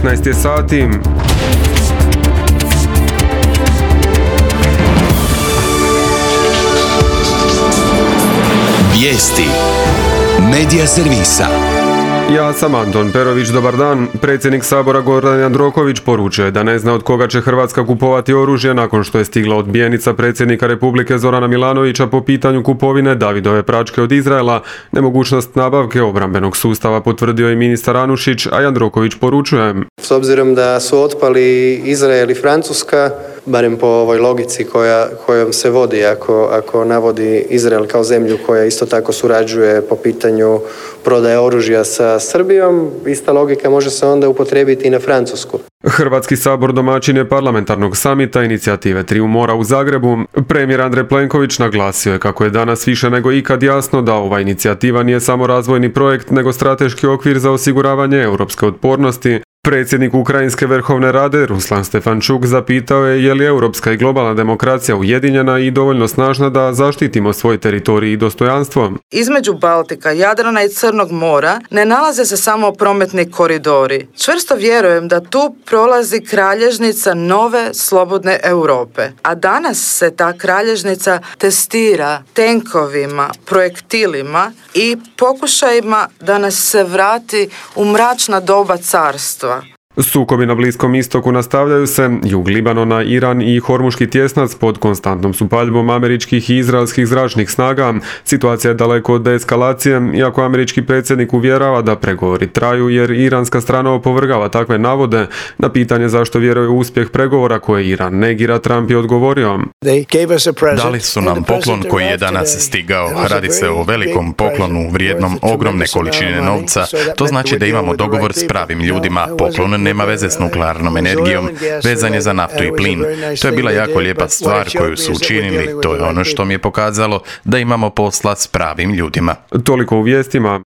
19 je sati. Vijesti Medija servisa. Ja sam Anton Perović, dobar dan. Predsjednik Sabora Gordan Jandroković poručio je da ne zna od koga će Hrvatska kupovati oružje nakon što je stigla odbijenica predsjednika Republike Zorana Milanovića po pitanju kupovine Davidove pračke od Izraela. Nemogućnost nabavke obrambenog sustava potvrdio je ministar Anušić, a Jandroković poručuje: S obzirom da su otpali Izrael i Francuska, barem po ovoj logici kojom se vodi ako navodi Izrael kao zemlju koja isto tako surađuje po pitanju prodaje oružja sa Srbijom, ista logika može se onda upotrijebiti i na Francusku. Hrvatski sabor domaćin je parlamentarnog samita inicijative Triju mora u Zagrebu. Premijer Andrej Plenković naglasio je kako je danas više nego ikad jasno da ova inicijativa nije samo razvojni projekt, nego strateški okvir za osiguravanje europske otpornosti. Predsjednik Ukrajinske Verhovne Rade Ruslan Stefančuk zapitao je li europska i globalna demokracija ujedinjena i dovoljno snažna da zaštitimo svoj teritorij i dostojanstvo. Između Baltika, Jadrana i Crnog mora ne nalaze se samo prometni koridori. Čvrsto vjerujem da tu prolazi kralježnica nove slobodne Europe. A danas se ta kralježnica testira tenkovima, projektilima i pokušajima da nas se vrati u mračna doba carstva. Sukobi na Bliskom istoku nastavljaju se. Jug Libanona, Iran i Hormuški tjesnac pod konstantnom su paljbom američkih i izraelskih zračnih snaga. Situacija je daleko od deeskalacije, iako američki predsjednik uvjerava da pregovori traju jer iranska strana opovrgava takve navode. Na pitanje zašto vjeruje u uspjeh pregovora koje Iran negira, Trump je odgovorio: Dali su nam poklon koji je danas stigao. Radi se o velikom poklonu vrijednom ogromne količine novca. To znači da imamo dogovor s pravim ljudima. Poklon nema veze s nuklearnom energijom, vezan je za naftu i plin. To je bila jako lijepa stvar koju su učinili. To je ono što mi je pokazalo da imamo posla s pravim ljudima. Toliko u vijestima.